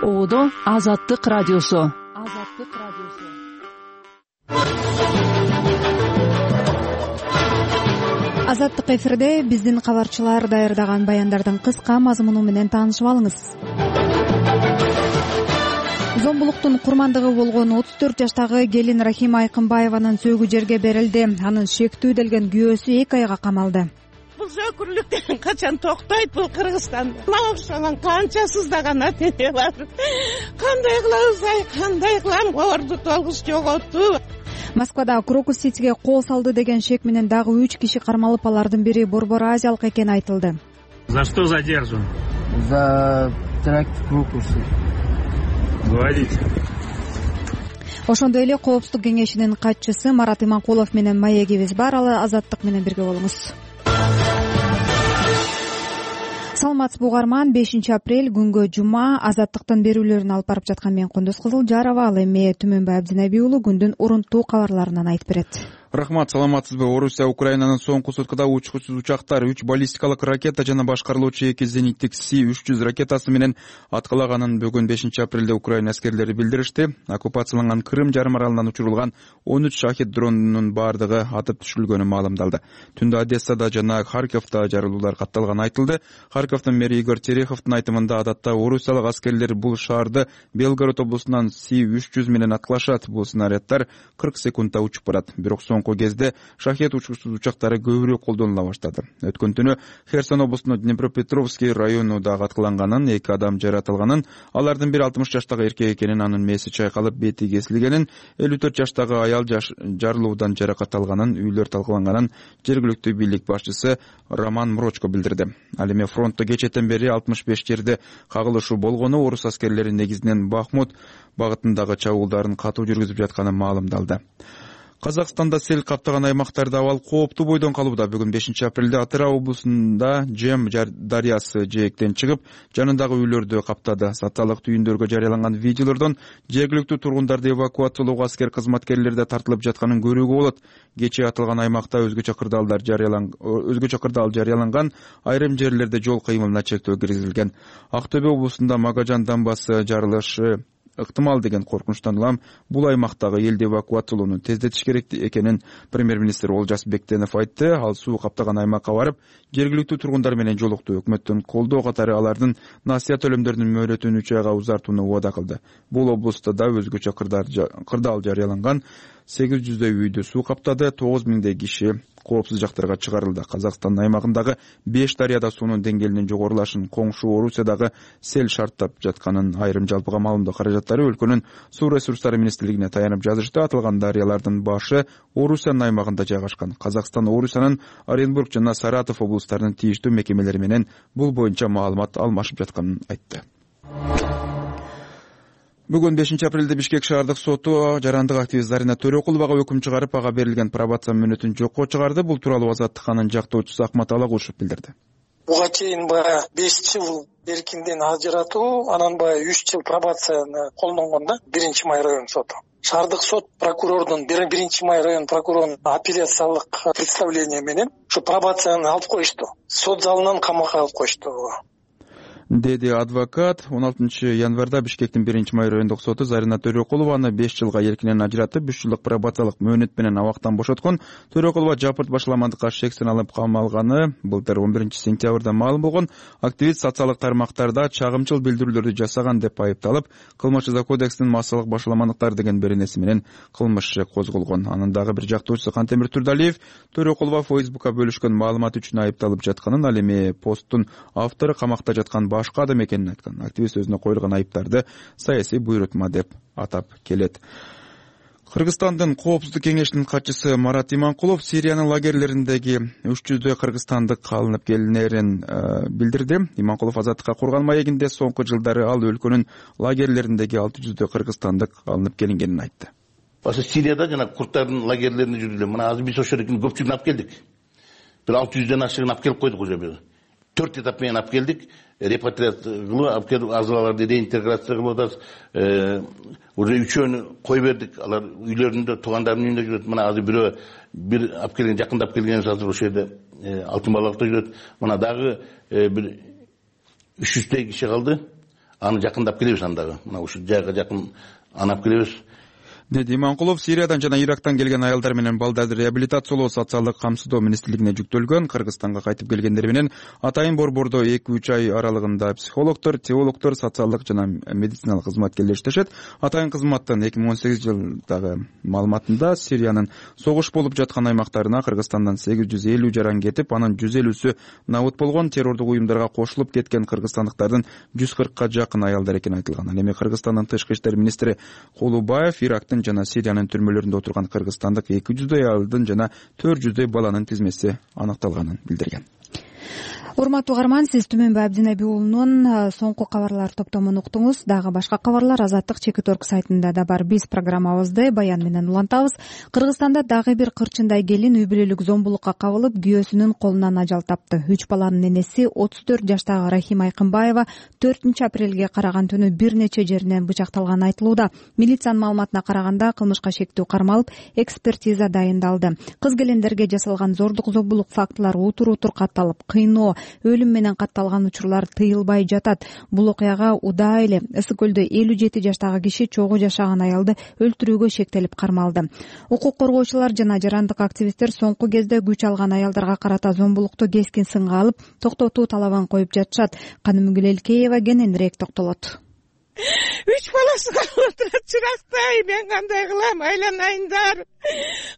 Оодо Азаттык радиосу. Азаттык эфирде биздин кабарчылар даярдаган баяндардын кыска мазмуну менен таанышып алыңыз. Зомбулуктун курмандыгы болгон 34 жаштагы келин Рахима Айкынбаеванын сөөгү жерге берилди. Анын шектүүделген күйөөсү 2 айга камалды. Бул сөкүрлүк качан токтойт? Бул Кыргызстан. Мага ошонун канча сыздаган ата-эне бар. Кандай кылабыз, кандай кылам? Орду толгуз жоготту. Москвада Крокус Ситиге кол салды деген шек менен дагы 3 киши кармалып, алардын бири борбор азиялык экени айтылды. За что задержан? За теракт в Крокусе. Говорите. Ошондой эле Коопсуздук кеңешинин катчысы Марат Иманкулов менен маегибиз бар. Ал Азаттык менен бирге болуңуз. Саламатсызбы угарман, 5 апрель күнгө жума. Азаттыктын берүүлөрүн алып барып жаткан мен Кундуз Кызылжарова. Ал эми Түмөнбай Абдинеби уулу күндүн урунттуу кабарларынан айтып берет. Рахмат, саламатсызбы. Орусия Украинанын соңку суткада учкучсуз учактар 3 баллистикалык ракета жана башкарылуучу 2 зениттик Си-300 ракетасы менен аткалаганын бүгүн 5 апрелде Украина аскерлери билдиришти. Оккупацияланган Крым жарым аралынан учурулган 13 шахид дронунун бардыгы атып түшүрүлгөнү маалымдалды. Түндө Одессада жана Харьковдо жарылуулар катталганы айтылды. Харьковдун мэри Игорь Тереховдун айтымында адатта орусиялык аскерлер бул шаарды Белгород облусунан Си-300 менен аткалашат. Бул снаряддар 40 секундда учуп барат. Бирок соңку кезде шахет учкучсуз учактары көбүрөөк колдонула баштады. Өткөн түнү Херсон облусунун Днепропетровский району дагы аткаланганын, 2 адам жаратылганын, алардын бири 60 жаштагы эркек экенин, анын мээси чайкалып бети кесилгенин, 54 жаштагы аял жарылуудан жаракат алганын, үйлөр талкаланганын жергиликтүү бийлик башчысы Роман Мрочко билдирди. Ал эми фронтто кечээден бери 65 жерде кагылышуу болгону, орус аскерлери негизинен Бахмут багытындагы чабуулдарын катуу жүргүзүп жатканы маалымдалды. Казакстанда сел каптаган аймактарда абал кооптуу бойдон калууда. Бүгүн 5 апрелде Атырау облусунда Жем дарыясы жээктен чыгып, жанындагы үйлөрдү каптады. Саталык түйүндөргө жарыяланган видеолордон жергиликтүү тургундарды эвакуациялоого аскер кызматкерлери да тартылып жатканын көрүүгө болот. Кечээ атылган аймакта өзгөчө кырдаал жарыяланган, айрым жерлерде жол кыймылына чектөө киргизилген. Актөбө облусунда Магажан дамбасы жарылышы ыктымал деген коркунучтан улам бул аймактагы элди эвакуациялоону тездетиш керек экенин премьер-министр Олжас Бектенов айтты. Ал суу каптаган аймакка барып, жергиликтүү тургундар менен жолукту. Өкмөттүн колдоо катары алардын насыя төлөмдөрүнүн мөөнөтүн 3 айга узартууну убада кылды. Бул облустта да өзгөчө кырдаал жарыяланган, 800дөй үйдү суу каптады, 9000 киши коопсуз жактарга чыгарылды. Казакстан аймагындагы 5 дарыяда суунун деңгээлинин жогорулашын коңшу Орусиядагы сел шарттап жатканын, айрым жалпыга маалымдоо каражаттары өлкөнүн суу ресурстары министрлигине таянып жазышты. Аталган дарыялардын башы Орусиянын аймагында жайгашкан. Казакстан Орусиянын Оренбург жана Саратов облустарынын тийиштүү мекемелери менен бул боюнча маалымат алмашып жатканын айтты. Бүгүн 5 апрелде Бишкек шаардык соту жарандык активист Зарина Төрөкуловага өкүм чыгарып, ага берилген пробация мөөнөтүн жокко чыгарды. Бул тууралуу Азаттыканын жактоочусу Акмат Алагушев билдирди. Буга чейин 5 жыл эркинден ажыратуу, анан 3 жыл пробацияны колдонгон да 1 май район соту. Шаардык сот прокурордун 1 май район прокурорунун апелляциялык представление менен ушу пробацияны алып коюшту. Сот залынан камакка алып коюшту. Деди адвокат. 16 январда Бишкектин 1 май райондук соту Зарина Төрөкулованы 5 жылга эркинен ажыратып, 3 жылдык пробациялык мөөнөт менен абактан бошоткон. Төрөкулова жапырт башаламандыкка шексин алып камалганы былтыр 11 сентябрда маалым болгон. Активист социалдык тармактарда чагымчыл билдирүүлөрдү жасаган деп айыпталып, кылмыш жаза кодексинин массалык башаламандыктар деген беренеси менен кылмыш козголгон. Анын дагы бир жактоочусу Кантемир Турдалиев Төрөкулова Фейсбукка бөлүшкөн маалымат үчүн айыпталып жатканын, ал эми посттун автору камакта жаткан башка адам экенин айткан. Активист өзүнө коюлган айыптарды саясий буйрутма деп атап келет. Кыргызстандын Коопсуздук кеңешинин катчысы Марат Иманкулов Сириянын лагерлериндеги 300дөй кыргызстандык алынып келинерин билдирди. Иманкулов Азаттыкка курган маегинде соңку жылдары ал өлкөнүн лагерлериндеги 600дөй кыргызстандык алынып келингенин айтты. Ошо Сирияда жана курттардын лагерлерине жүрдүлөр. Мына азыр биз ошолордун көпчүлүгүн алып келдик. Бир 600дөн ашыгын алып келип койдук уже. 4 этап менен алып келдик. Репатриация кылып алып келип, азаларды реинтеграция кылып атабыз. Уже 3өөнү кой бердик. Алар үйлөрүндө, туугандарынын үйүндө жүрөт. Мына азыр бирөө бир алып келген, жакындап келгенибиз азыр ошол жерде Алтын балыкта жүрөт. Мына дагы бир 300 киши калды. аны жакындап келебиз, андагы мына ушул жайга жакын анап келебиз. деди Иманкулов. Сириядан жана Ирактан келген аялдар менен балдарды реабилитациялоо социалдык камсыздоо министрлигине жүктөлгөн. Кыргызстанга кайтып келгендер менен Атайын борбордо 2-3 ай аралыгында психологдор, теологдор, социалдык жана медициналык кызматкерлер иштешет. Атайын кызматтын 2018 жылдагы маалыматында Сириянын согуш болуп жаткан аймактарына Кыргызстандан 850 жаран кетип, анын 150сү набыт болгон. Террордук уюмдарга кошулуп кеткен кыргызстандыктардын 140ка жакын аялдар экени айтылган. Ал эми Кыргызстандын тышкы иштер министри Кулубаев Ирактын жана Сириянын түрмөлөрүндө отурган кыргызстандык 200дөй аялдын жана 400дөй баланын тизмеси аныкталганын билдирген. Урматтуу угарман, сиз Түмөнбай Абдинеби уулунун соңку кабарлар топтомун уктуңуз. Дагы башка кабарлар Азаттык Чекит.орг сайтында да бар. Биз программабызды баян менен улантабыз. Кыргызстанда дагы бир кырчындай келин үй бүлөлүк зомбулукка кабылып, күйөөсүнүн колунан ажал тапты. 3 баланын энеси 34 жаштагы Рахима Айкынбаева 4-апрелге караган түнү бир нече жеринен бычакталганы айтылууда. Милициянын маалыматына караганда кылмышка шектүү кармалып, экспертиза дайындалды. Кыз келиндерге жасалган зордук зомбулук фактылары утур-утур катталып, кыйноо, өлүм менен катталган учурлар тыйылбай жатат. Бул окуяга удаа эле Ысык көлдө 57 жаштагы киши чогуу жашаган аялды өлтүрүүгө шектелип кармалды. Укук коргоочулар жана жарандык активисттер соңку кезде күч алган аялдарга карата зомбулукту кескин сынга алып, токтотуу талабын коюп жатышат. Канымгүл Элкеева кененирээк токтолот. 3 баласы калып отурат, чырактай, мен кандай кылам, айланайындар.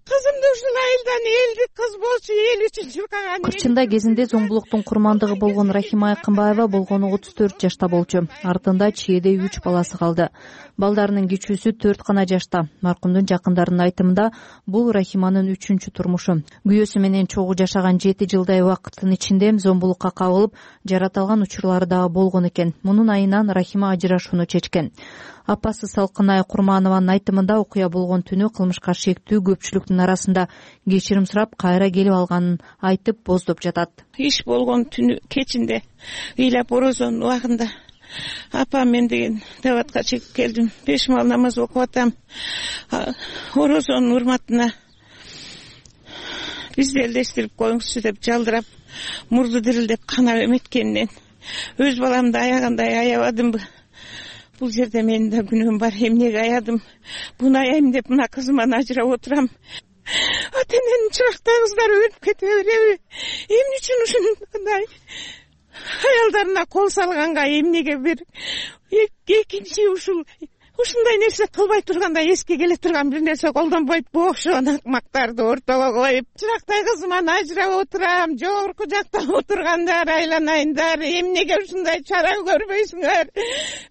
Кызымды ушул айылдан элдик кыз болчу, эл үчүн чуркаган. Кырчындай кезинде зомбулуктун курмандыгы болгон Рахима Айкынбаева болгону 34 жашта болчу. Артында чиедей 3 баласы калды. Балдарынын кичүүсү 4 гана жашта. Маркумдун жакындарынын айтымында, бул Рахиманын 3-чү турмушу. Күйөөсү менен чогуу жашаган 7 жылдай убакыттын ичинде зомбулукка кабылып, жараталган учурлары дагы болгон экен. Мунун айынан Рахима ажырашууну чечкен. Апасы Салкынай Курманованын айтымында, окуя болгон түнү кылмышка шектүү көпчүлүктүн арасында кечирим сурап, кайра келип алганын айтып боздоп жатат. Иш болгон түнү кечинде ыйлап орозонун убагында апам мен деген даватка чыгып келдим. 5 мал намаз окуп атам. Орозонун урматына бизди элдештирип коюңузчу деп жалдырап, мурду дирилдеп канап эметкенинен өз баламды аягандай аябадымбы? Бул жерде менин да күнөөм бар. Эмнеге аядым? Буну аяйм деп мына кызыман ажырап отурам. Ата-эненин чырактай кыздары өлүп кете береби? Эмне үчүн ушундай аялдарына кол салганга эмнеге бир экинчи ушундай нерсе кылбай турганда эске келе турган бир нерсе колдонбойт бошон акмактарды ортого коюп, чырактай кызыман ажырап отурам, жогорку жакта отургандар, айланайындар, эмнеге ушундай чара көрбөйсүңөр?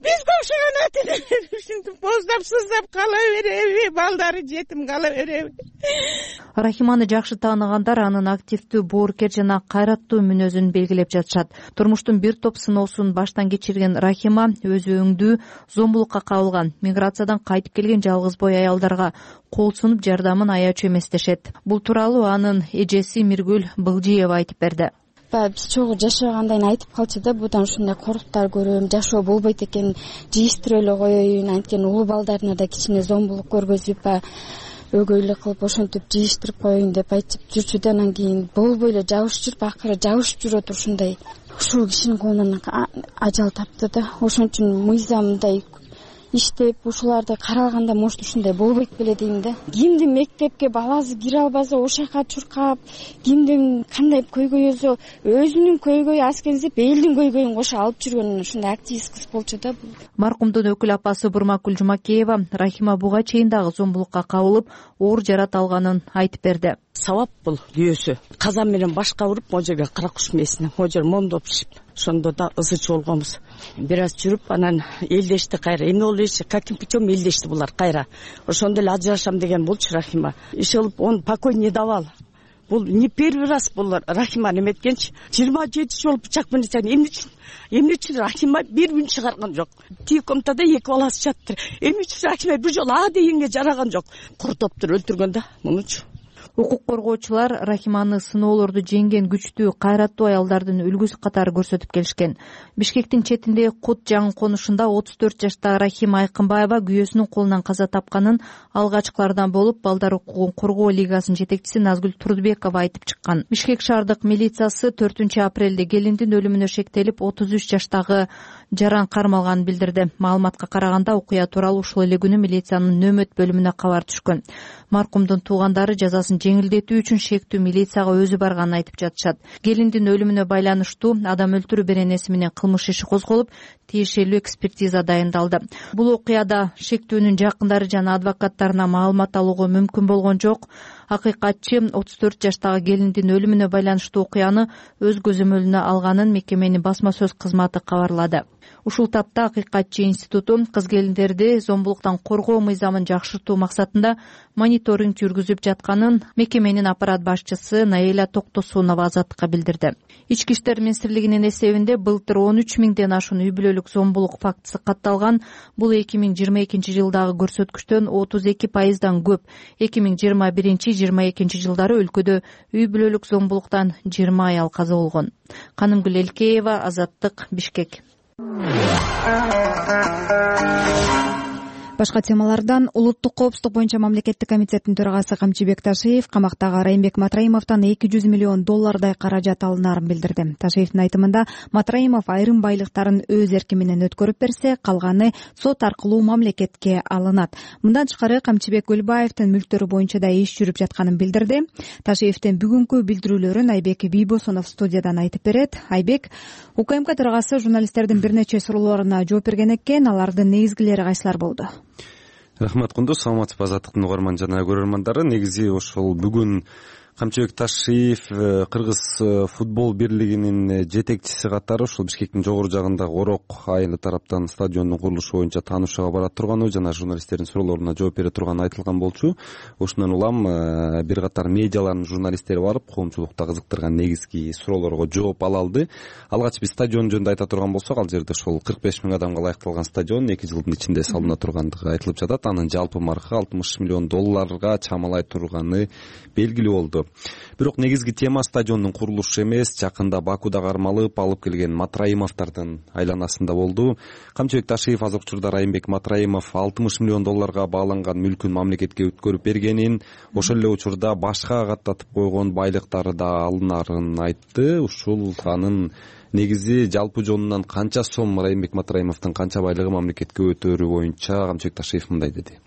Бизге окшогон ата-энелер ушинтип боздап сыздап кала береби? Балдары жетим кала береби? Рахиманы жакшы тааныгандар анын активдүү, боорукер жана кайраттуу мүнөзүн белгилеп жатышат. Турмуштун бир топ сыноосун баштан кечирген Рахима өзү өңдүү зомбулукка кабылган. Миграциядан кайтып келген жалгыз бой аялдарга кол сунуп жардамын аячу эмес дешет. Бул тууралуу анын эжеси Миргүл Былжиева айтып берди. Биз чогуу жашагандайын айтып калчу да, будан ушундай коруктар көрөм, жашоо болбойт экен, жыйыштырып эле коеюн, анткени улуу балдарына да кичине зомбулук көргөзүп, өгөйлүк кылып ошентип жыйыштырып коеюн деп айтып жүрчү да, анан кийин болбой эле жабышып жүрүп, акыры жабышып жүрүп ушундай ушул кишинин колунан ажал тапты да. Ошон үчүн мыйзамдай иштеп, ушуларды каралганда может ушундай болбойт беле дейм да. Кимдин мектепке баласы кире албаса ошака чуркап, кимдин кандай көйгөйсө өзүнүн көйгөйү аскенсип, элдин көйгөйүн кошо алып жүргөн ушундай активист кыз болчу да. Маркумдун өкүл апасы Бурмакүл Жумакеева Рахима буга чейин дагы зомбулукка кабылып, оор жарат алганын айтып берди. Сабап бул күйөөсү. Казан менен башка уруп, могу жерге кара куш мээсине, могу жер момдоп пишип, ошондо да ызычы болгонбуз. Бир аз жүрүп, анан элдешти кайра. Эмне болду деши, каким путем элдешти булар кайра. Ошондо эле ажырашам деген болчу Рахима. Иш кылып, он покой не давал. Бул не первый раз булар Рахима эметкенчи. 27 жолу бычак менен эмне үчүн Рахима бир күн чыгарган жок. Тиги комнатада 2 баласы жатты. Эмне үчүн Рахима бир жолу а дегенге жараган жок. Куртоптур өлтүргөн да, муну үчүн. Укук коргоочулар Рахиманы сыноолорду жеңген күчтүү, кайраттуу аялдардын үлгүсү катары көрсөтүп келишкен. Бишкектин четиндеги Кут жаңы конушунда 34 жаштагы Рахима Айкынбаева күйөөсүнүн колунан каза тапканын алгачкылардан болуп Балдар укугун коргоо лигасынын жетекчиси Назгүл Турдубекова айтып чыккан. Бишкек шаардык милициясы 4-апрелде келиндин өлүмүнө шектелип 33 жаштагы жаран кармалганын билдирди. Маалыматка караганда окуя тууралуу ушул эле күнү милициянын нөмөт бөлүмүнө кабар түшкөн. Маркумдун туугандары жазасын жеңилдетүү үчүн шектүү милицияга өзү барганын айтып жатышат. Келиндин өлүмүнө байланыштуу адам өлтүрүү беренеси менен кылмыш иши козголуп, тиешелүү экспертиза дайындалды. Бул окуяда шектүүнүн жакындары жана адвокаттарына маалымат алууга мүмкүн болгон жок. Акыйкатчы 34 жаштагы келиндин өлүмүнө байланыштуу окуяны өз көзөмөлүнө алганын мекеменин басма сөз кызматы кабарлады. Ушул тапта Акыйкатчы институту кыз келиндерди зомбулуктан коргоо мыйзамын жакшыртуу максатында мониторинг жүргүзүп жатканын мекеменин аппарат башчысы Наиля Токтосунова Азаттыкка билдирди. Ички иштер министрлигинин эсебинде былтыр 13 миңден ашуун үй бүлөлүк зомбулук фактысы катталган. Бул 2022 жылдагы көрсөткүчтөн 32% көп. 2021-22 жылдары өлкөдө үй бүлөлүк зомбулуктан 20 аял каза болгон. Канымгүл Элкеева, Азаттык, Бишкек. Башка темалардан улуттук коопсуздук боюнча мамлекеттик комитеттин төрагасы Камчыбек Ташиев камактагы Райымбек Матраимовдон $200 миллион каражат алынаарын билдирди. Ташиевдин айтымында Матраимов айрым байлыктарын өз эрки менен өткөрүп берсе, калганы сот аркылуу мамлекетке алынат. Мындан тышкары Камчыбек Гүлбаевдин мүлктөрү боюнча да иш жүрүп жатканын билдирди. Ташиевдин бүгүнкү билдирүүлөрүн Айбек Бийбосунов студиядан айтып берет. Айбек, УКМК төрагасы журналисттердин бир нече суроолоруна жооп берген экен. Алардын негизгилери кайсылар болду? Рахмат Кундуз, саламатсызбы Азаттыктын угарман жана көрөрмандары. Негизи ошол бүгүн Камчыбек Ташиев Кыргыз футбол бирлигинин жетекчиси катары ошол Бишкектин жогору жагындагы Орок айылы тараптан стадиондун курулушу боюнча таанышууга бара турганы жана журналисттердин суроолоруна жооп бере турганы айтылган болчу. Ошондон улам бир катар медиалардын журналисттери барып, коомчулукта кызыктырган негизги суроолорго жооп ала алды. Алгач биз стадион жөнүндө айта турган болсок, ал жерде ошол 45 миң адамга ылайыкталган стадион 2 жылдын ичинде салына тургандыгы айтылып жатат. Анын жалпы маркы $60 миллион чамалай турганы белгилүү болду. Бирок негизги тема стадиондун курулушу эмес, жакында Бакуда кармалып алып келген Матраимовдордун айланасында болду. Камчыбек Ташиев азыр учурда Райымбек Матраимов $60 миллион бааланган мүлкүн мамлекетке өткөрүп бергенин, ошол эле учурда башка каттатып койгон байлыктары да алынарын айтты. Ушул анын негизи жалпы жонунан канча сом Райымбек Матраимовдун канча байлыгы мамлекетке өтөрү боюнча Камчыбек Ташиев мындай деди.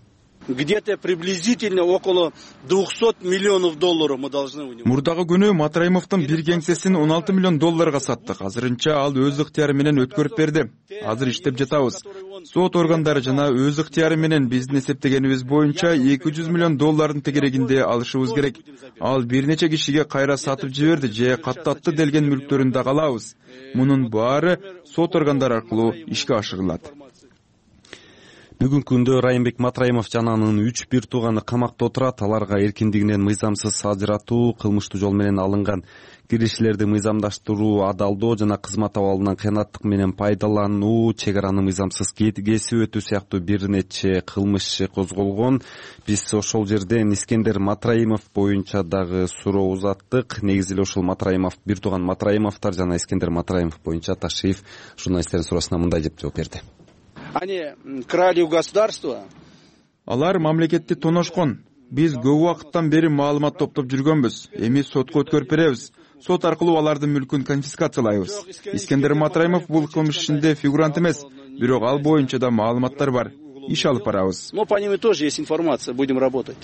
Где-то приблизительно около $200 миллионов мы должны у него. Мурдагы күнү Матраимовдун бир кеңсесин $16 миллион саттык. Азырынча ал өз ыктыяры менен өткөрүп берди. Азыр иштеп жатабыз. Сот органдары жана өз ыктыяры менен биздин эсептегенибиз боюнча $200 миллион тегерегинде алышыбыз керек. Ал бир нече кишиге кайра сатып жиберди же каттатты делген мүлктөрүн да алабыз. Мунун баары сот органдары аркылуу ишке ашырылат. Бүгүнкү күндө Райымбек Матраимов жана анын 3 бир тууганы камакта отурат. Аларга эркиндигинен мыйзамсыз ажыратуу, кылмыштуу жол менен алынган киришилерди мыйзамдаштыруу, адалдоо жана кызмат абалынан кыянаттык менен пайдалануу, чек араны мыйзамсыз кесип өтүү сыяктуу бир нече кылмыш иши козголгон. Биз ошол жерден Искендер Матраимов боюнча дагы суроо узаттык. Негизи эле ошол Матраимов, бир тууган Матраимовдор жана Искендер Матраимов боюнча Ташиев журналисттердин суроосуна мындай деп жооп берди. Они крали у государства. Алар мамлекетти тоношкон. Биз көп убакыттан бери маалымат топтоп жүргөнбүз. Эми сотко өткөрүп беребиз. Сот аркылуу алардын мүлкүн конфискациялайбыз. Искендер Матраимов бул кылмыш ишинде фигурант эмес, бирок ал боюнча да маалыматтар бар. Иш алып барабыз. Но по ним тоже есть информация, будем работать.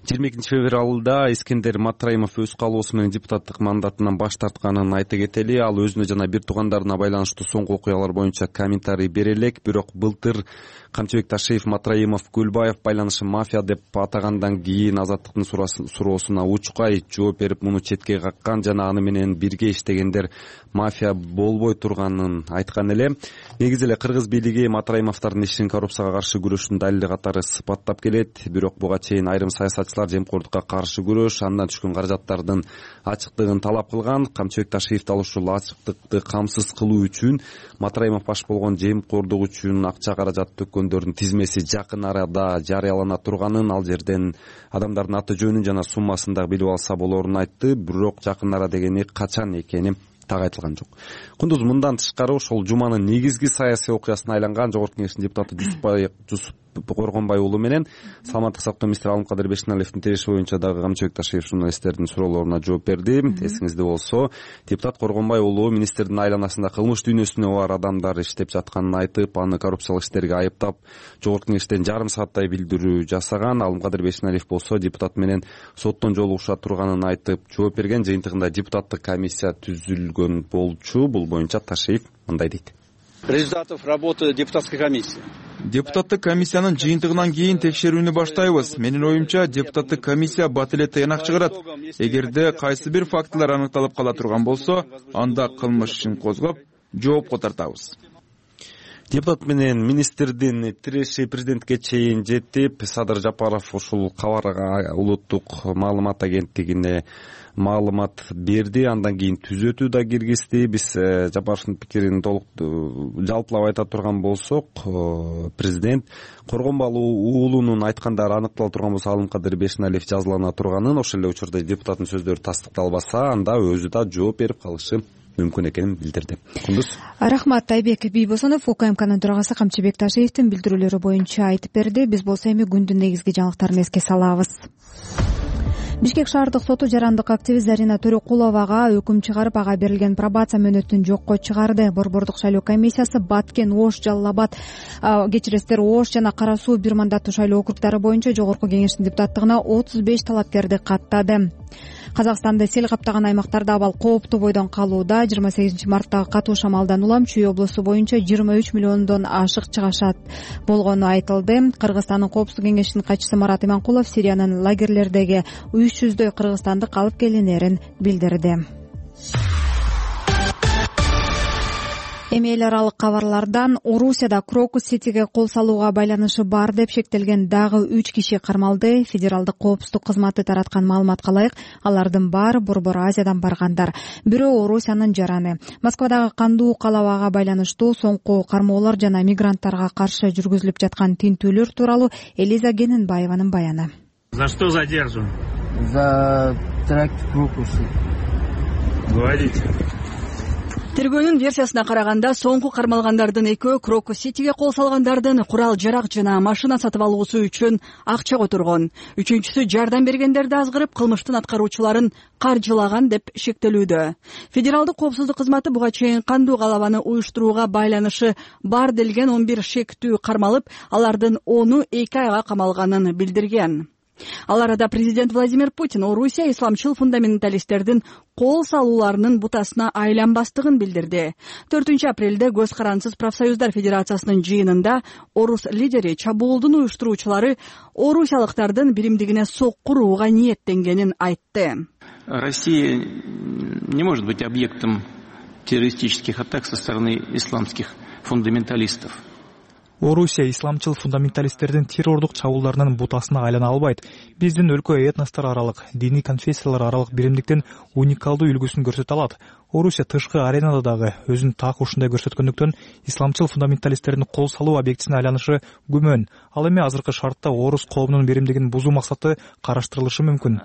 22 февралда Искендер Матраимов өз калоосу менен депутаттык мандатынан баш тартканын айта кетели. Ал өзүнө жана бир туугандарына байланыштуу соңку окуялар боюнча комментарий бере элек, бирок былтыр Камчыбек Ташиев Матраимов Гүлбаев байланышын мафия деп атагандан кийин Азаттыктын суроосуна учкай жооп берип, муну четке каккан жана аны менен бирге иштегендер мафия болбой турганын айткан эле. Негизи эле Кыргыз бийлиги Матраимовдордун ишин коррупцияга каршы күрөшүүнүн далили катары сыпаттап келет, бирок буга чейин айрым саясатчылар катнашкычылар жемкордукка каршы күрөш, андан түшкөн каражаттардын ачыктыгын талап кылган. Камчыбек Ташиев дал ушул ачыктыкты камсыз кылуу үчүн Матраимов баш болгон жемкордук үчүн акча каражат төккөндөрдүн тизмеси жакын арада жарыялана турганын, ал жерден адамдардын аты жөнүн жана суммасын дагы билип алса болорун айтты. Бирок жакын ара дегени качан экени так айтылган жок. Кундуз, мындан тышкары ошол жуманын негизги саясий окуясына айланган Жогорку Кеңештин депутаты Жусуп Коргонбай уулу менен Саламаттык сактоо министри Алымкадыр Бешеналиевдин тиреши боюнча дагы Камчыбек Ташиев журналисттердин суроолоруна жооп берди. Эсиңизде болсо, депутат Коргонбай уулу министрдин айланасында кылмыш дүйнөсүнө бар адамдар иштеп жатканын айтып, аны коррупциялык иштерге айыптап, Жогорку Кеңештен жарым сааттай билдирүү жасаган. Алымкадыр Бешеналиев болсо депутат менен соттон жолугуша турганын айтып жооп берген. Жыйынтыгында депутаттык комиссия түзүлгөн болчу. Бул боюнча Ташиев мындай дейт. Результатов работы депутатской комиссии. Депутаттык комиссиянын жыйынтыгынан кийин текшерүүнү баштайбыз. Менин оюмча, депутаттык комиссия бат эле тыянак чыгарат. Эгерде кайсы бир фактылар аныкталып кала турган болсо, анда кылмыш ишин козгоп, жоопко тартабыз. Депутат менен министрдин тиреши президентке чейин жетип, Садыр Жапаров ушул кабарга улуттук маалымат агенттигине маалымат берди. Андан кийин түзөтүү да киргизди. Биз Жапаровдун пикирин толук жалпылап айта турган болсок, президент Коргонбай уулунун айткандары аныктала турган болсо, Алымкадыр Бешеналиев жазалана турганын, ошол эле учурда депутаттын сөздөрү тастыкталбаса, анда өзү да жооп берип калышы мүмкүн экенин билдирди. Кундуз. Рахмат. Айбек Бийбосонов УКМКнын төрагасы Камчыбек Ташиевдин билдирүүлөрү боюнча айтып берди. Биз болсо эми күндүн негизги жаңылыктарын эске салабыз. Бишкек шаардык соту жарандык активист Зарина Төрөкуловага өкүм чыгарып, ага берилген пробация мөөнөтүн жокко чыгарды. Борбордук шайлоо комиссиясы Баткен, Ош, Жалал Абад, Ош жана Кара Суу бир мандаттуу шайлоо округдары боюнча Жогорку Кеңештин депутаттыгына 35 талапкерди каттады. Казакстанды сел каптаган аймактарда абал кооптуу бойдон калууда. 28 марттагы катуу шамалдан улам Чүй облусу боюнча 23 миллиондон ашык чыгашат болгону айтылды. Кыргызстандын Коопсуздук кеңешинин катчысы Марат Иманкулов Сириянын лагерлердеги 300дөй кыргызстандык алып келинерин билдирди. Эми эл аралык кабарлардан Орусияда Крокус Ситиге кол салууга байланышы бар деп шектелген дагы 3 киши кармалды. Федералдык коопсуздук кызматы тараткан маалыматка ылайык, алардын баары Борбор Азиядан баргандар. Бирөө Орусиянын жараны. Москвадагы кандуу калабага байланыштуу соңку кармоолор жана мигранттарга каршы жүргүзүлүп жаткан тинтүүлөр тууралуу Элиза Гененбаеванын баяны. За что задержан? За теракт в Крокусе. Говорите. Тергөөнүн версиясына караганда, соңку кармалгандардын экөө Крокус Ситиге кол салгандардын курал-жарак жана машина сатып алуусу үчүн акча которгон. Үчүнчүсү жардам бергендерди азгырып, кылмыштын аткаруучуларын каржылаган деп шектелүүдө. Федералдык коопсуздук кызматы буга чейин кандуу калабаны уюштурууга байланышы бар делген 11 шектүү кармалып, алардын 10-у 2 айга камалганын билдирген. Ал арада президент Владимир Путин Орусия исламчыл фундаменталисттердин кол салууларынын бутасына айланбастыгын билдирди. 4-апрелде Көз карансыз профсоюздар федерациясынын жыйынында орус лидери чабуулдун уюштуруучулары орусиялыктардын биримдигине соккурууга ниеттенгенин айтты. Россия не может быть объектом террористических атак со стороны исламских фундаменталистов. Орусия исламчыл фундаменталисттердин террордук чабуулдарынын бутасына айлана албайт. Биздин өлкө этностор аралык, диний конфессиялар аралык биримдиктин уникалдуу үлгүсүн көрсөтө алат. Орусия тышкы аренада дагы өзүн так ушундай көрсөткөндүктөн исламчыл фундаменталисттердин кол салуу объектисине айланышы күмөн. Ал эми азыркы шартта орус коомунун биримдигин бузуу максаты караштырылышы мүмкүн.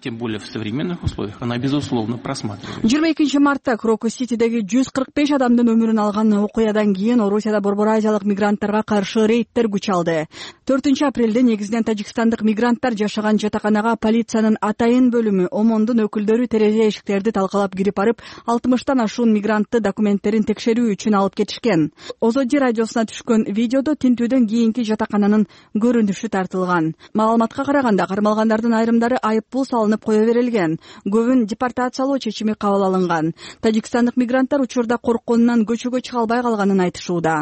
Тем более в современных условиях она безусловно просматривается. 22 мартта Крокус Ситидеги 145 адамдын өмүрүн алган окуядан кийин Орусияда Борбор Азиялык мигранттарга каршы рейдтер күч алды. 4-апрелде негизинен тажикстандык мигранттар жашаган жатаканага полициянын атайын бөлүмү ОМОНдун өкүлдөрү терезе эшиктерди талкалап кирип барып, 60тан ашуун мигрантты документтерин текшерүү үчүн алып кетишкен. Озоди радиосуна түшкөн видеодо тинтүүдөн кийинки жатакананын көрүнүшү тартылган. Маалыматка караганда, кармалгандардын айрымдары айыппул салынып кое берилген. Көбүн депортациялоо чечими кабыл алынган. Тажикстандык мигранттар учурда коркконунан көчөгө чыга албай калганын айтышууда.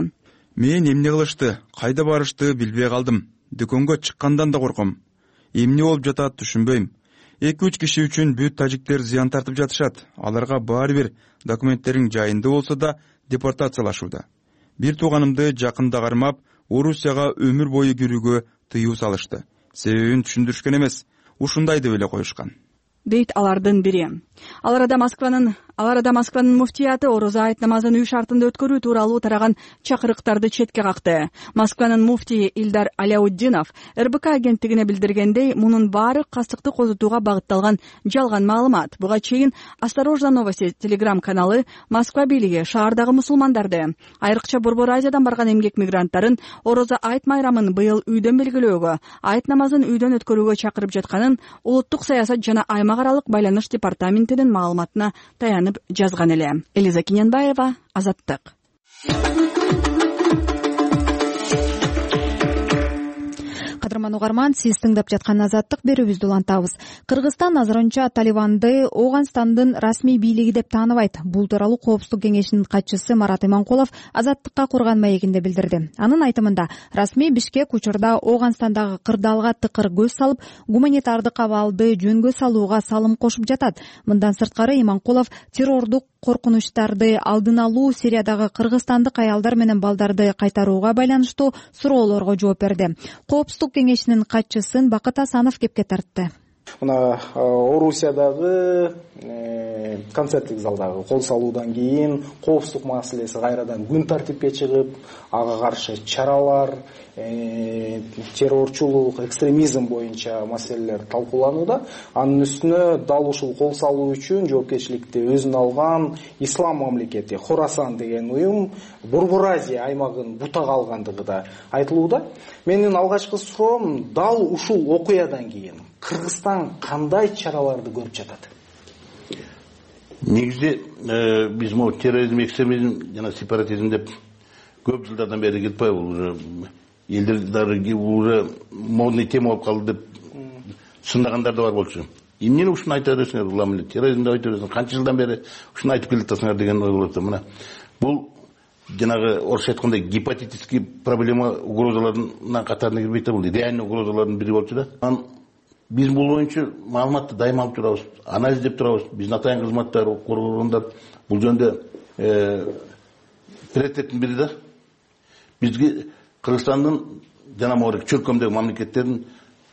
Мен эмне кылышты, кайда барышты билбей калдым. Дүкөнгө чыккандан да корком. Эмне болуп жатат түшүнбөйм. 2-3 киши үчүн бүт тажиктер зыян тартып жатышат. Аларга баары бир документтериң жайында болсо да депортациялашууда. Бир тууганымды жакында кармап, Орусияга өмүр бою кирүүгө тыюу салышты. Себебин түшүндүрүшкөн эмес. ушундай деп эле коюшкан, дейт алардын бири. Ал арада Москванын муфтияты орозо айт намазын үй шартында өткөрүү тууралуу тараган чакырыктарды четке какты. Москванын муфтийи Илдар Аляутдинов РБК агенттигине билдиргендей, мунун баары кастыкты козутууга багытталган жалган маалымат. Буга чейин Осторожно новости телеграм каналы Москва бийлиги шаардагы мусулмандарды, айрыкча Борбор Азиядан барган эмгек мигранттарын орозо айт майрамын быйыл үйдөн белгилөөгө, айт намазын үйдөн өткөрүүгө чакырып жатканын улуттук саясат жана аймак аралык байланыш департаментинин маалыматына таянып жазган эле. Элиза Киненбаева, Азаттык. Кадырман угарман, сиз тыңдап жаткан Азаттык берүүбүздү улантабыз. Кыргызстан азырынча Талибанды Ооганстандын расмий бийлиги деп тааныбайт. Бул тууралуу Коопсуздук кеңешинин катчысы Марат Иманкулов Азаттыкка курган маегинде билдирди. Анын айтымында, расмий Бишкек учурда Ооганстандагы кырдаалга тыкыр көз салып, гуманитардык абалды жөнгө салууга салым кошуп жатат. Мындан сырткары Иманкулов террордук коркунучтарды алдын алуу, Сириядагы кыргызстандык аялдар менен балдарды кайтарууга байланыштуу суроолорго жооп берди. Коопсуздук кеңешинин катчысын Бакыт Асанов кепке тартты. Мына Орусиядагы концерттик залдагы кол салуудан кийин коопсуздук маселеси кайрадан күн тартипке чыгып, ага каршы чаралар, террорчулук, экстремизм боюнча маселелер талкууланууда. Анын үстүнө дал ушул кол салуу үчүн жоопкерчиликти өзүнө алган Ислам мамлекети Хорасан деген уюм Борбор Азия аймагын бутага алгандыгы да айтылууда. Менин алгачкы суроом, дал ушул окуядан кийин Кыргызстан кандай чараларды көрүп жатат? Негизи биз могу терроризм, экстремизм жана сепаратизм деп көп жылдардан бери кетип атпайбы, уже элдер уже модный тема болуп калды деп сындагандар да бар болчу. Эмнени ушуну айта бересиңер, улам эле терроризмди айта бересиңер, канча жылдан бери ушуну айтып келатасыңар деген ой болот. Мына бул жанагы орусча айткандай гепатитический проблема угрозаларынын катарына кирбейт да, бул реальный угрозалардын бири болчу да. Биз бул боюнча маалыматты дайыма алып турабыз, анализдеп турабыз. Биздин атайын кызматтар, коргонгондар бул жөнүндө приоритеттин бири да. Бизге Кыргызстандын жана могу чөлкөмдөгү мамлекеттердин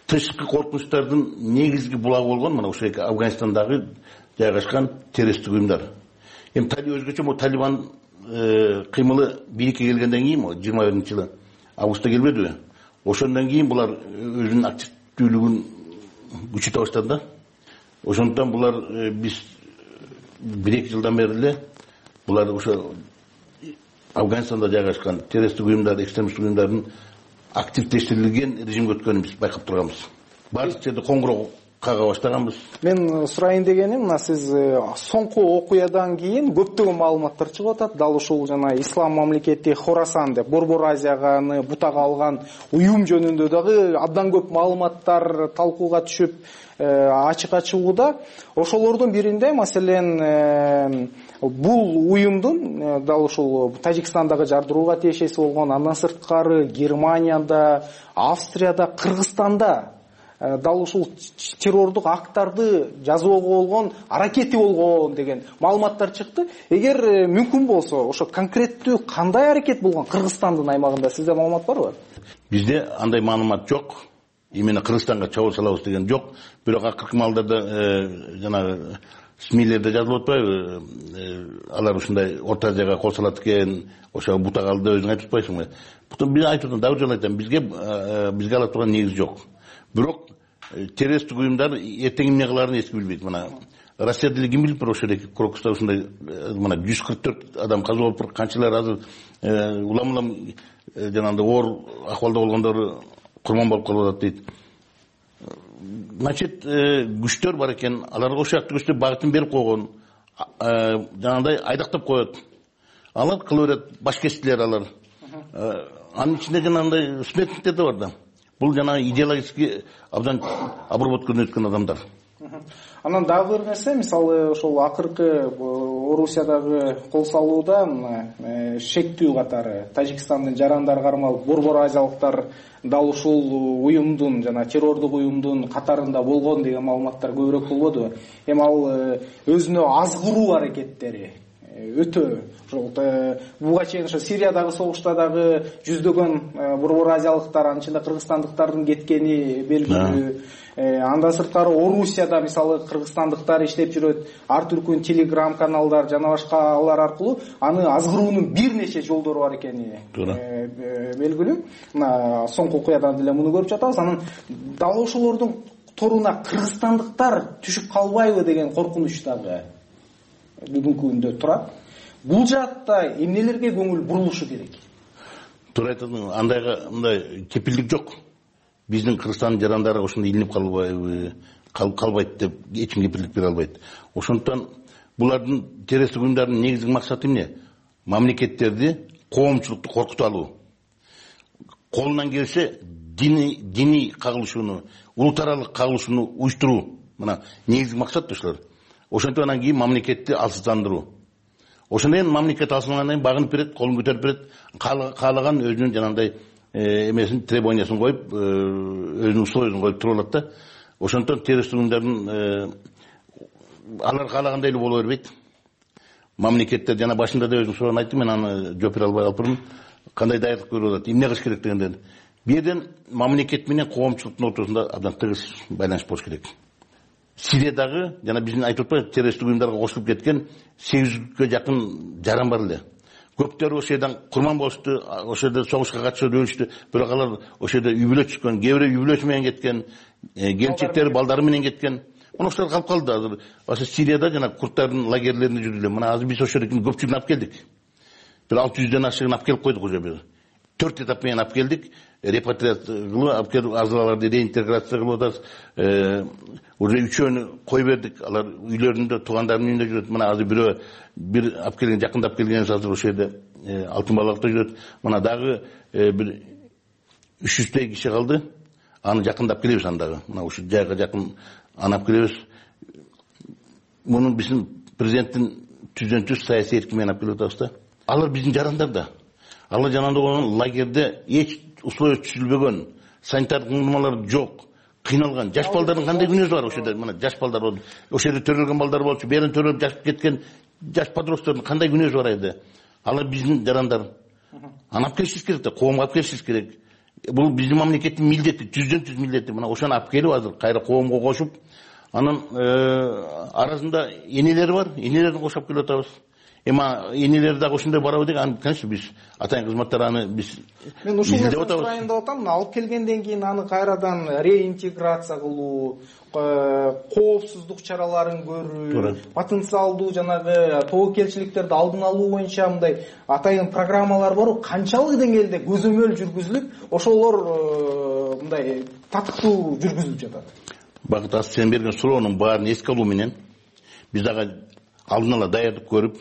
тышкы коркунучтардын негизги булагы болгон мына ушул Афганистандагы жайгашкан террористтик уюмдар. Эми өзгөчө могу Талибан кыймылы бийликке келгенден кийин 21-жылы августта келбедиби? Ошондон кийин булар өзүнүн активдүүлүгүн күчөтө баштады да. Ошондон булар биз 1-2 жылдан бери эле булар ошо Афганистанда жайгашкан террористтик уюмдар, экстремисттик уюмдардын активдештирилген режимге өткөнүн биз байкап турганбыз. Бардык жерде коңгуроо кага баштаганбыз. Мен сурайын дегеним, мына сиз соңку окуядан кийин көптөгөн маалыматтар чыгып атат. Дал ушул жана Ислам мамлекети Хорасан деп Борбор Азияны бутага алган уюм жөнүндө дагы абдан көп маалыматтар талкууга түшүп ачыкка чыгууда. Ошолордун биринде, маселен, бул уюмдун дал ушул Тажикстандагы жардырууга тиешеси болгон, андан сырткары Германияда, Австрияда, Кыргызстанда дал ушул террордук акттарды жазууга болгон аракети болгон деген маалыматтар чыкты. Эгер мүмкүн болсо, ошо конкреттүү кандай аракет болгон Кыргызстандын аймагында сизде маалымат барбы? Бизде андай маалымат жок. Именно Кыргызстанга чабуул салабыз деген жок. Бирок акыркы маалдарда жанагы СМИлерде жазылып атпайбы? Алар ушундай Орто Азияга кол салат экен, ошо бутага алды деп өзүң айтып атпайсыңбы? Бутун бир айтып дагы жолу айтам, бизге ала турган негиз жок. Бирок террористтик уюмдар эртең эмне кыларын эч билбейт. Мына Россияда эле ким билип ошо Крокуста ушундай мына 144 адам каза болуп, канчалар азыр улам жанагындай оор акыбалда болгондору курман болуп калып атат дейт. Значит, күчтөр бар экен, аларга ошол күчтөр багытын берип койгон, жанагындай айдактап коет. Алар кыла берет, башкечтилер алар. Анын ичинде жанагындай сметниктер да бар да. Бул жанагы идеологически абдан обработкадан өткөн адамдар. Анан дагы бир нерсе, мисалы ошол акыркы Орусиядагы кол салууда шектүү катары Тажикстандын жарандары кармалып, Борбор Азиялыктар дал ушул уюмдун жана террордук уюмдун катарында болгон деген маалыматтар көбүрөөк болбодубу? Эми ал өзүнө аз куруу аракеттери өтө ошол буга чейин ошо Сириядагы согушта дагы жүздөгөн борбор азиялыктар, анын ичинде кыргызстандыктардын кеткени белгилүү. Андан сырткары Орусияда мисалы кыргызстандыктар иштеп жүрөт, ар түркүн телеграм каналдар жана башкалар аркылуу аны азгыруунун бир нече жолдору бар экени белгилүү. Мына соңку окуядан деле муну көрүп жатабыз. Анан дал ошолордун торуна кыргызстандыктар түшүп калбайбы деген коркунуч дагы бүгүнкү күндө турат. Бул жаатта эмнелерге көңүл бурулушу керек? Туура айтасың, андайга мындай кепилдик жок. Биздин Кыргызстандын жарандары ошондой илинип калбайт деп эч ким кепилдик бере албайт. Ошондуктан булардын террористтик уюмдардын негизги максаты эмне? Мамлекеттерди, коомчулукту коркутуп алуу. Колунан келсе диний кагылышууну, улут аралык кагылышууну уюштуруу. Мына негизги максат ошолор. Ошентип анан кийин мамлекетти алсыздандыруу. Ошондон кийин мамлекет алсынгандан кийин багынып берет, колун көтөрүп берет, каалаган өзүнүн жанагындай эмесин, требованиясын коюп, өзүнүн условиясын коюп туруп алат да. Ошондон террористтик уюмдардын алар каалагандай эле боло бербейт. Мамлекеттер жана башында да өзүнүн суроонун айттым, мен аны жооп бере албай калыптырмын. Кандай даярдык көрүп атат, эмне кылыш керек дегенден. Бул жерден мамлекет менен коомчулуктун ортосунда абдан тыгыз байланыш болуш керек. Сириядагы жана биздин айтып атпайбы, террористтик уюмдарга кошулуп кеткен 800гө жакын жаран бар эле. Көптөрү ошол жерден курман болушту, ошол жерде согушка катышып өлүштү. Бирок алар ошол жерде үй бүлө түшкөн, кээ бирөө үй бүлөсү менен кеткен, келинчектери, балдары менен кеткен. Мына ошолор калып калды азыр. Ошо Сирияда жана курдтардын лагерлеринде жүрдүлөр. Мына азыр биз ошол жерден көпчүлүгүн алып келдик. Бир 600дөн ашыгын алып келип койдук уже. 4 этап менен алып келдик. Репатриация кылып, алып келип азгаларды реинтеграция кылып атабыз. Уже 3өөнү кой бердик. Алар үйлөрүндө, туугандарынын үйүндө жүрөт. Мына азыр бирөө бир алып келген, жакындап келгенибиз азыр ошол жерде Алтын балыкта жүрөт. Мына дагы бир 300 киши калды. Аны жакындап келебиз андагы. Мына ушул жайга жакын анап келебиз. Муну биздин президенттин түзөнчү саясий эркин менен алып келип атабыз да. Алар биздин жарандар да. Алар жанында болгон лагерде эч условия түзүлбөгөн, санитардык нормалар жок, кыйналган жаш балдардын кандай күнөөсү бар ошол жерде? Мына жаш балдар болду. Ошол жерде төрөлгөн балдар болчу, берен төрөлүп жашып кеткен жаш подростоктордун кандай күнөөсү бар edi? Алар биздин жарандар. Анап келишибиз керек да, коомго алып келишибиз керек. Бул биздин мамлекеттин милдети, түздөн-түз милдети. Мына ошону алып келип азыр кайра коомго кошуп, анан арасында энелери бар, энелерин кошуп келип атабыз. Эма энелер дагы ошондой барабы деген, аны конечно биз атайын кызматтар аны биз мен ушул сурайын деп атам. Алып келгенден кийин аны кайрадан реинтеграция кылуу, коопсуздук чараларын көрүү, потенциалдуу жанагы тобокелчиликтерди алдын алуу боюнча мындай атайын программалар барбы? Канчалык деңгээлде көзөмөл жүргүзүлүп, ошолор мындай татыктуу жүргүзүлүп жатат? Багыт аз сен берген суроонун баарын эске алуу менен биз дагы алдын ала даярдык көрүп,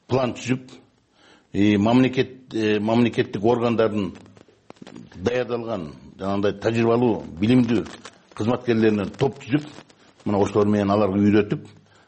план түзүп, мамлекеттик органдардын даярдалган жанагындай тажрыйбалуу, билимдүү кызматкерлеринен топ түзүп, мына ошолор менен аларга үйрөтүп,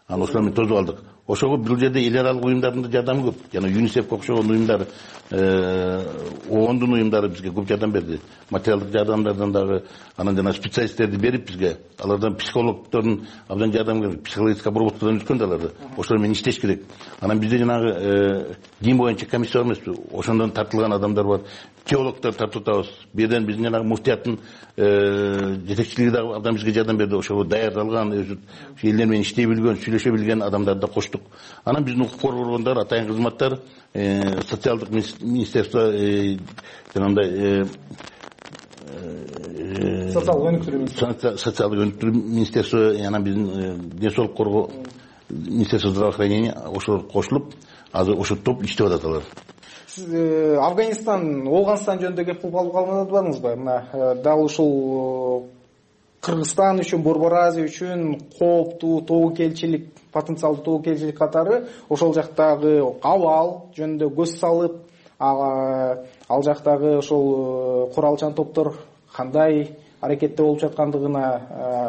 анан ошолор менен тосуп алдык. Ошого бул жерде эл аралык уюмдардын да жардамы көп. Жана ЮНИСЕФ окшогон уюмдар, ООНдун уюмдары бизге көп жардам берди. Материалдык жардамдардан дагы, анан жана специалисттерди берип бизге, алардан психологдордун абдан жардам берип, психологический обработкадан өткөн да аларды. Ошолор менен иштеш керек. Анан бизде жанагы дин боюнча комиссия бар эмеспи? Ошондон тартылган адамдар бар. Теологдор тартып атабыз. Бу жерден биздин жанагы муфтияттын жетекчилиги дагы абдан бизге жардам берди. Ошого даярдалган, өзү элдер менен иштей билген, сүйлөшө билген адамдарды да коштук. Анан биздин укук коргоо органдары, атайын кызматтар, социалдык министерство, жанагындай социалдык өнүктүрүү министерство, анан биздин ден соолук коргоо министерство здравоохранения ошолор кошулуп, азыр ошол топ иштеп атат алар. Афганистан, Оогунстан жөнүндө кеп кылып алганыңызбы? Мына дал ушул Кыргызстан үчүн, Борбор Азия үчүн кооптуу тобокелчилик, потенциалдуу тобокелчилик катары ошол жактагы абал жөнүндө көз салып, ал жактагы ошол куралчан топтор кандай аракетте болуп жаткандыгына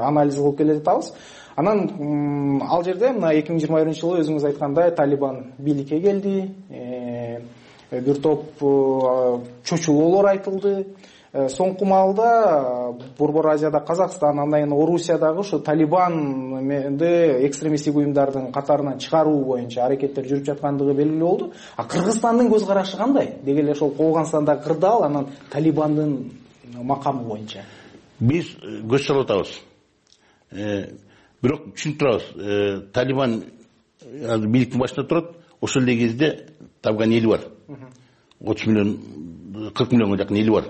анализ кылып келе жатабыз. Анан ал жерде мына 2021-жылы өзүңүз айткандай Талибан бийликке келди. бир топ чочулоолор айтылды. Соңку маалда Борбор Азияда Казакстан, андан кийин Орусиядагы ушу Талибанды экстремисттик уюмдардын катарынан чыгаруу боюнча аракеттер жүрүп жаткандыгы белгилүү болду. А Кыргызстандын көз карашы кандай? Деги эле ошол Кооганстандагы кырдаал, анан Талибандын макамы боюнча. Биз көз салып атабыз. Бирок түшүнүп турабыз. Талибан бийликтин башында турат. Ошол эле кезде табган эли бар. 30 миллион, 40 миллионго жакын эли бар.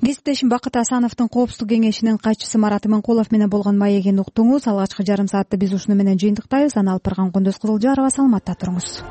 Кесиптешим Бакыт Асановдун Коопсуздук кеңешинин катчысы Марат Иманкулов менен болгон маегин уктуңуз. Алгачкы жарым саатты биз ушуну менен жыйынтыктайбыз. Аны алып барган Кондос Кызылжарова. Саламатта туруңуз.